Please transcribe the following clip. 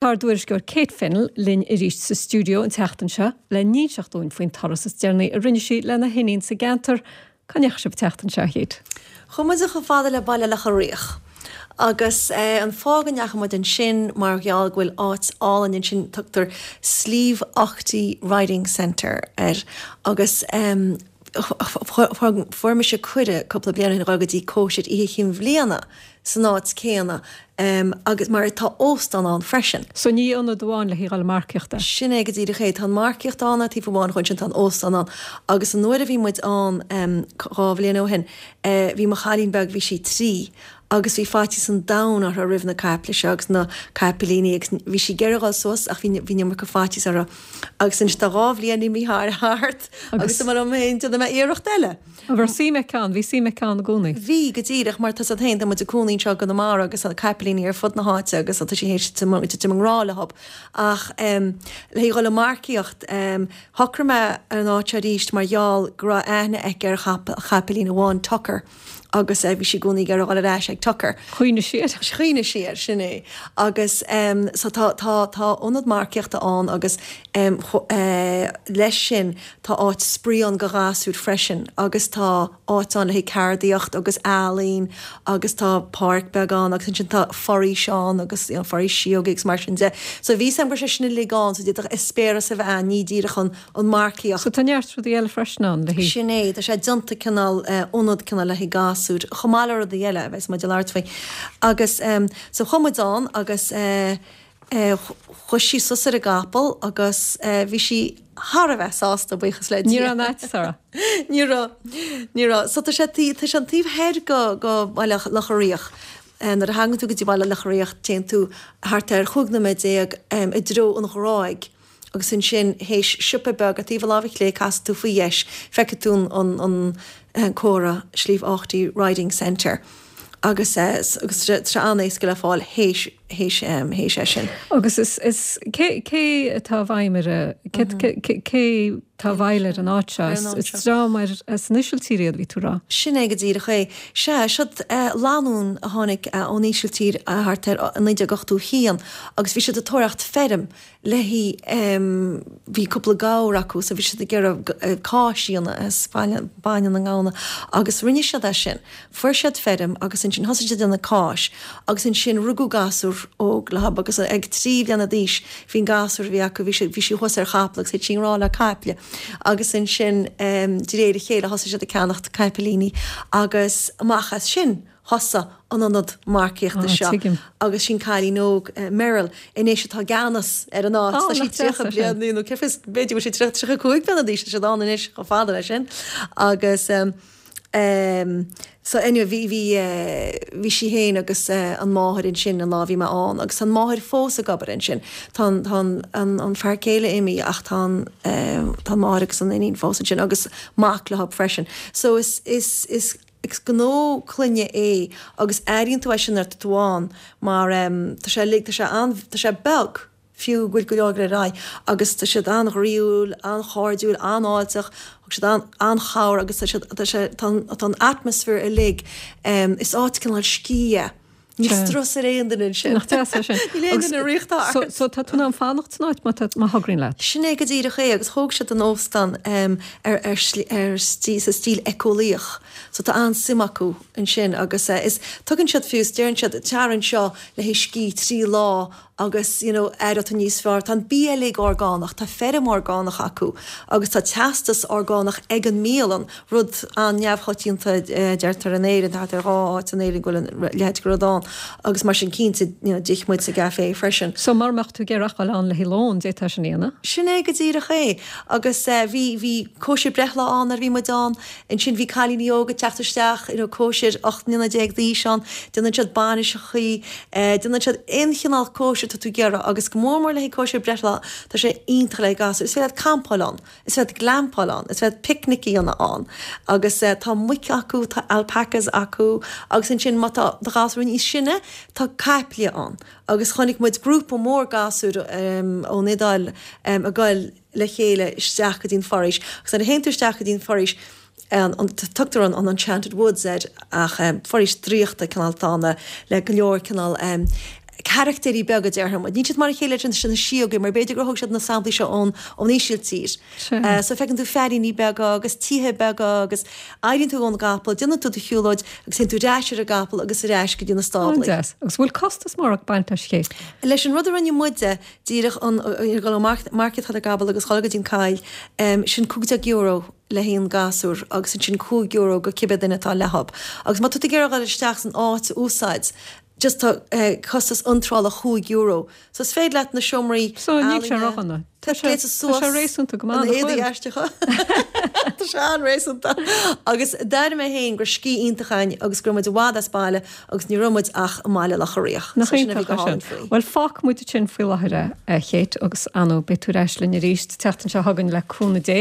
Tá ár dtuairisceoir Kate Fennell linn arís sa stiúideo an tseachtain seo le n-inseacht dúinn faoin turas is deireanaí a rinne sí lena hiníon sa gceantar. Cá ndeachaigh sibh an tseachtain seo, a Kate? Chuaigh muid chomh fada le Baile Locha Riach. Agus an fáth go ndeachaigh muid ansin mar gheall go bhfuil áit álainn ansin, tugtar Slieve Aughty Riding Centre air agus fuair mise cuireadh cúpla bliain ó shin a dhul go dtí cóisir Oíche Chinn Bhliana san áit céanna agus mar tá óstán ann freisin. So ní ionad amháin le haghaidh dhul ag marcaíocht é? Sin é go díreach é. Tá an marcaíocht ann ar taobh amháin dhe, ansin tá an óstán ann agus an uair a bhí muid ann 2 bhliain ó shin bhí mo chailín beag, bhí sí 3 agus bhí faitíos an domhain uirthi roimh na caiple seo agus na caipilíní agus bhí sí ag iarraidh dhul suas ach bhí bhí an iomarca faitíos uirthi agus anois tá 2 bhliain imithe thart agus dúirt mé liom féin déanfaidh mé iarracht eile. An raibh suim aici ann? Bhí suim aici ann i gcónaí? Bhí, go díreach, mar tá 's agat féin, tá muid ag cónaí anseo i gConamara agus tá caipilíní ar fud na háite agus tá sí théis titim i ngrá leo ach le haghaidh dhul ag marcaíocht shocraigh mé ar an áit seo arís mar gheall go raibh aithne aici ar chaipilín amháin, Tucker. agus bhí sí i gcónaí ag iarraidh dhul ar ais ag Tucker. Chuimhnigh sí air. Chuimhnigh sí air, sin é. Agus so tá, tá, tá ionad marcaíochta ann agus leis sin tá áit spraoi ann go ghasúir freisin agus tá áit ann le haghaidh ceardaíocht agus ealaín agus tá páirc beag ann agus ansin tá foraois ann agus you know foraois síógaí agus mar sin de. So bhí 's agam go raibh sé sin uilig ann so d'fhéadfadh eispéireas a bheith ann, ní díreach an, an marcaíocht. So tá neart rudaí eile freisin ann le haghaidh. Sin é, tá sé déanta cineál, ionad cineál le haghaidh gasúir, chomh maith le rudaí eile a bheas muid ag labhairt faoi. Agus so chuaigh muid ann agus chuaigh sí suas ar an gcapall agus bhí sí thar a bheith sásta, buíochas le Dia. Ní raibh aon fhaitíos uirthi? Ní raibh, ní raibh. So tá sé, tá sé an taobh thoir go, go Baile Locha Riach. Nuair a thagann tú go dtí Baile Locha Riach téann tú thart ar 15 nóiméad i dtreo an Ghráig. agus ansin théis siopa beag ar taobh a láimhe clé casfaidh tú faoi dheis, feicfidh tú an an comhartha Slieve Aughty Riding Centre agus agus tá sé an-éasca le fáil théis théis théis é sin. Agus is is cé cé atá i bhfeidhm ar a cé cé cé atá i bhfeighil ar an áit seo? Is is dream ar as an Ísiltír iad bhí tú a rá. Sin é go díreach é. Sea, siod lánúin a tháinig ón Ísiltír thart ar 1981 agus bhí siad ag tóraíocht feirm le haghaidh, bhí cúpla gabhar acu so bhí siad ag iarraidh cáis a dhéanamh as bainne na ngamhna agus rinne siad é sin. Fuair siad feirm agus ansin thosaigh siad ag déanamh cáis agus ansin rugadh gasúr óg leo agus ag 3 bliana d'aois bhí an gasúr a bhí acu, bhí sé, bhí sí thuas ar chapall agus thit sí i ngrá le caiple agus ansin de réir a chéile thosaigh siad ag ceannacht caipilíní agus amach as sin thosaigh an ionad marcaíochta seo agus sin cailín óg, Meryl, anois atá i gceannas ar an áit. Tá sí 30 bliain, nó cé fios, b'fhéidir go bhfuil sí 30, 35 bliana d'aois, tá siad ann anois chomh fada leis sin. Agus so anyway bhí, bhí, bhí sí féin agus an máthair ansin an lá a bhí mé ann agus tá an máthair fós ag obair ansin. Tá an, tá an, an fear céile imithe ach tá an, tá an máthair agus an iníon fós ansin agus mac leo freisin. So is, is, is, Is gnó clainne é agus airíonn tú é sin nuair atá tú ann mar tá sé uilig, tá sé an, tá sé beag fiú go bhfuil go leor ag dul ar aghaidh agus tá siad an-ghroíúil, an-chairdiúil, an-fháilteach, thug siad an, an-chabhair agus tá siad, tá sé, tá an, tá an atmaisféar uilig, is áit cineál scíth é. Níl strus ar aon duine ansin. Nach deas é sin. Níl aon duine ag rith thart. So, so tá tú in ann fanacht san áit má tá, má thograíonn leat. Sin é go díreach é agus thóg siad an óstán ar, ar, ar, sa stíl éiceolaíoch. So tá an-suim acu ansin agus is, tugann siad fiú, is deireann siad, tar anseo le haghaidh scíth 3 lá agus you know aireoidh tú níos fearr. Tá an bia uilig orgánach, tá feirm orgánach acu agus tá teastas orgánach ag an mbialann, rud an-neamhchoitianta deirtear in Éirinn, tá thart ar 2 áit in Éirinn go bhfuil a leithéid de rud ann agus mar sin cinnte you know d'ith muid sa gcafé freisin. So mura mbeadh tú ag iarraidh a dhul ann le haghaidh lón, d'fhéadfá sin a dhéanamh? Sin é go díreach é agus bhí bhí cóisir breithlá ann nuair a bhí muid ann. Ansin bhí cailíní óga ag teacht isteach, you know cóisir 18 mbliana d'aois ann, déanann siad bainiseachaí, déanann siad aon chineál cóisir atá tú ag iarraidh agus go mór mór le haghaidh cóisir breithlá, tá sé iontach le haghaidh gasúir. Is féidir leat campáil ann, is féidir leat glampáil ann, is féidir leat picnic a dhéanamh ann agus tá muic acu, tá alpacas acu agus ansin má tá do ghasúr níos sine, tá caiple ann agus chonaic muid grúpa mór gasúir ón Iodáil ag goil le chéile isteach go dtí an foraois agus nuair a théann tú isteach go dtí an foraois an tugtar an Enchanted Woods air ach foraois draíochta cineál atá ann le go leor cineál. carachtéirí beaga déarfaidh muid. Níl siad mar a chéile leis na síogaí mar b'fhéidir gur thóg siad na samplaí seo ón ón Ísiltír. So feiceann tú feairíní beaga agus tithe beaga agus éiríonn tú ón gcapall, déanann tú do shiúlóid agus téann tú ar ais ar an gcapall agus ar ais go dtí na stáblaí. An-deas. Agus bhfuil costas mór ag baint leis Kate? Leis an rud a rinne muide, díreach an dhul ó Market ar an gcapall agus dhul go dtí an coill, sin €15 le haghaidh an gasúr agus ansin €5 go cibé duine atá leothab. Agus má tá tú ag iarraidh dhul isteach san áit a úsáid, just tá costas iontrála €5. So is féidir leat na seomraí So níl sé ródhona. Tá sé gléasta suas tá sé réasúnta go maith, nach bhfuil? éadaí aisteacha. Tá sé an-réasúnta. Agus d'airigh mé féin go raibh scíth iontach againn agus go raibh muid i bhfad as baile agus ní raibh muid ach i mBaile Locha Riach. Nach So sin a bhí iontach go é sin. hálainn faoi. Bhuel fágfaidh muid ansin faoi láthair é, a Kate, agus ar ndóigh beidh tú ar ais linn arís an tseachtain seo chugainn le cúnamh Dé.